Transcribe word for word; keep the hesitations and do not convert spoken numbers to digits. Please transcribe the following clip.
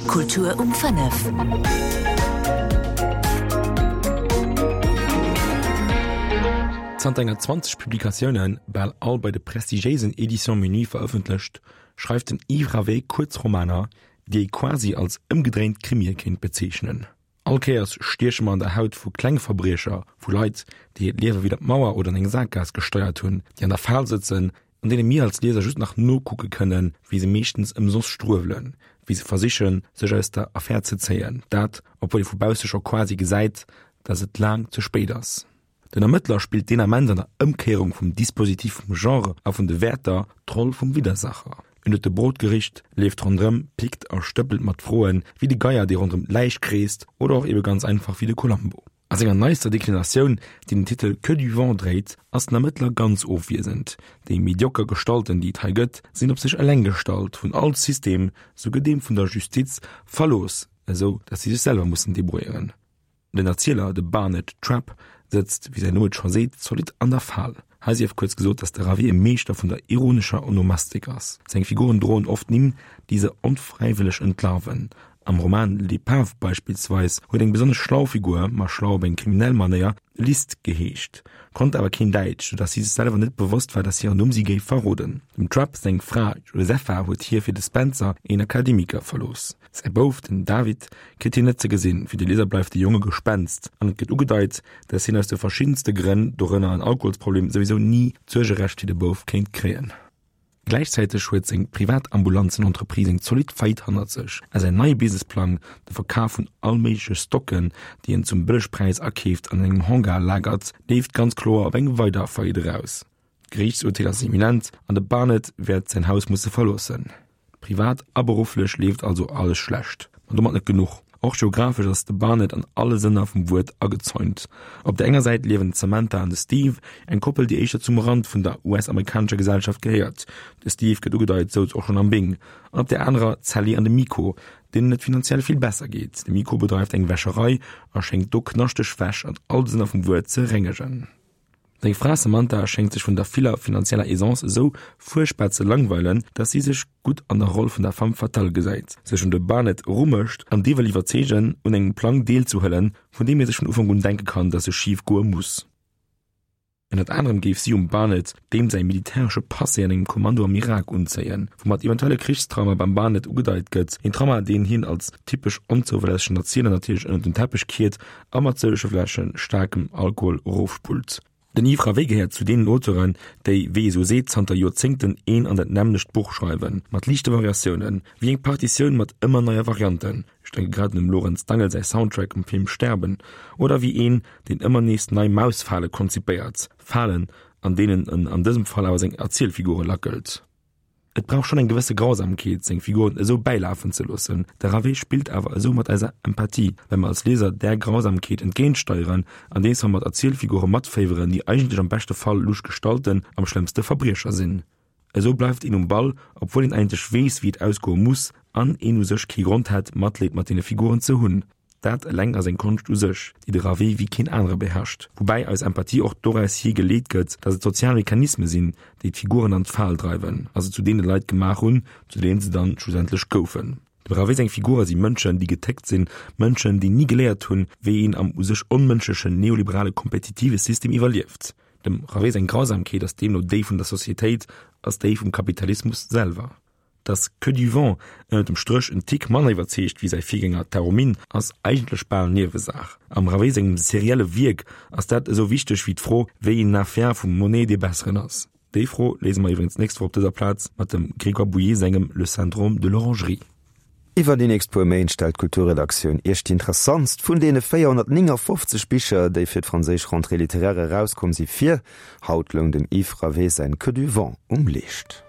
Kultur um fënnef. Zanter enger zwanzeg Publikatiounen, bal all bei de prestigiéisen Éditions Minuit verëffentlecht, schreift den Yves Ravé Kuerzromaner, déi ee quasi als ëmgedréint Krimie kéint bezeechnen. All Kéiers stieche mer an der Haut vu Klengverbriecher, vu Leit, déi hiert Liewe widder d'Mauer oder an eng Sakgaass gesteiert hunn, déi an der Fal sëtzen, an deene mir als Lieser just nach nokucke kënnen, wéi se meeschtens ëmsoss struewelen, wéi se versichen, sech aus der Affär ze zéien, dat, obwuel ee vu bausse scho quasi gesäit, dass et laang ze spéit ass. Den Ermëttler spillt deen Ament an der Ëmkéierung vum Dispositif vum Genre a vun de Wäerter d'Roll vum Widdersacher. En huet de Brot gericht, leeft ronderëm, pickt a stëppelt mat Froen, wéi de Geier, dee ronderëm d'Läich kreest, oder och ebe ganz einfach wéi de Columbo. A senger neister Deklinatioun, déi den Titel Que du vent dréit, ass den Ermëttler ganz ofwiesend. Déi medioker Gestalten, déi et hei gëtt, sinn op sech eleng gestallt, vun all System, souguer deem vun der Justiz, verlooss, esou datt si sech selwer mussen debrouilléieren. Den Erzieler, de Barnett Trapp, sëtzt, wéi säin Numm et scho seet, zolidd an der Fal. Hei sief kuerz gesot, datt de Ravé e Meeschter vun der ironescher Onomastik ass. Seng Figuren droen oft Nimm, déi se onfräiwëlleg entlarven. Am Roman L'Épave beispillsweis huet eng besonnesch schlau Figur, ma schlau op eng kriminell Manéier, List geheescht, konnt awer keen Däitsch, soudatt si sech selwer net bewosst war, datt hiren Numm si géif verroden. Dem Trapp seng Fra Josepha huet hie fir de Spencer, een Akademiker, verlooss. Säi Bouf, den David, kritt hien net ze gesinn, fir de Lieser bleift de Jong e Gespenst an et gëtt ugedeit, datt hien aus de verschiddenste Grënn, dorënner en Alkoholsproblem, souwisou ni d'Suergerecht fir de Bouf kéint kréien. Gläichzäiteg huet seng privat Ambulanzenentreprise eng zolidd Faillite hannert sech a säin neie Businessplang, de Verkaf vun allméigleche Stocken, déi en zum Bëllegpräis akeeft an an engem Hangar lagert, leeft ganz kloer op eng weider Faillite eraus. D'Geriichtsurteel ass imminent an de Barnett wäert säin Haus musse verloossen. Privat a berufflech leeft also alles schlecht. Ma domat net genuch, och geographesch ass de Barnett an alle Sënner vum Wuert agezäunt. Op der enger Säit liewen d'Samantha an de Steve, eng Koppel, déi éischter zum Rand vun der U S-amerikanescher Gesellschaft gehéiert, de Steve gëtt ugedeit, souz och schonn am Bing, an op der anerer d'Sally an de Miko, deenen et finanziell vill besser geet. De Miko bedreift eng Wäscherei a schéngt do knaschteg Wäsch an all de Sënner vum Wuert ze rengegen. Seng Fra Samantha schéngt sech vun der viller finanzieller Aisance esou fuerchtbar ze langweilen, dass si sech gutt an der Roll vun der Femme fatale gesäit, sech un de Barnett erumécht an dee wëll iwwerzeegen, un engem Plang deelzehuelen, vun deem ee sech vun Ufank un denke kann, dass e schif goe muss. Ënnert anerem géif si um Barnett deem säi militäresche Passé an engem Kommando am Irak unzéien, woumat eventuelle Krichstrauma beim Barnett ugedeit gëtt, een Trauma, deen hien als typesch onzouverlässegen Erzieler natierlech ënnert den Teppech kiert a mat sëllege Fläsche staarkem Alkohol erofspullt. Den Yves Ravé gehéiert zu deenen Auteuren, déi, wéi ee sou seet, zanter Joerzéngten een an dat nämmlecht Buch schreiwen, mat liichte Variatiounen, wéi eng Partitioun mat ëmmer neie Varianten, ech denke grad un dem Lorenz Dangel säi Soundtrack um Film Sterben, oder wéi een, deen ëmmer nees nei Mausfale konzipéiert, Falen, an deenen en an dësem Fall awer seng Erzielfigure lackelt. Et brauch schonn eng gewësse Grausamkeet, seng Figuren esou bäilafen ze loossen. De Ravé spillt awer esou mat eiser Empathie, well mer als Lieser där Grausamkeet entgéintsteieren, andeems mer mat Erzielfigure matféiweren, déi eigentlech am beschte Fall lusch Gestalten, am schlëmmste Verbriecher sinn. Esou bleift een um Ball, obwuel een eigentlech weess, wéi et ausgoe muss an een u sech kee Grond hätt, Matleed mat deene Figuren ze hunn. Dat eleng ass eng Konscht u sech, déi de Ravé wéi keen anere beherrscht. Woubäi eis Empathie och doraus hier geleet gëtt, datt et sozial Mechanisme sinn, déi d'Figuren an d'Fal dreiwen a se zu deene Leit gemaach hunn, zu deenen se dann schlussendlech goufen. Dem Ravé seng Figure si Mënschen, déi getéckt sinn, Mënschen, déi ni geléiert hunn, wéi een am u sech onmënschlechen neoliberale kompetitive System iwwerlieft. Dem Ravé seng Grausamkeet ass deemno déi vun der Societéit, ass déi vum Kapitalismus selwer. Dass Que du vent ënnert dem Stréch en Tick manner iwwerzeegt wéi säi Virgänger Taromine, ass eigentlech bal Niewesaach. Am Ravé sengem serielle Wierk ass dat esou wichteg wéi d'Fro, wéi een Affär vum Monet dee besseren ass. Déi Fro léise mer iwwregens d'nächst Woch op dëser Plaz mat dem Grégoire Bouillet sengem Le syndrome de l'orangerie. Iwwer déi nächst puer Méint stellt d'Kulturredaktioun Iech déi interessantst vun deene véierhonnertnéngafofzeg Bicher, déi fir d'franséisch Rentrée littéraire erauskomm si, vir. Haut loung dem Yves Ravé säin Que du vent um Leescht.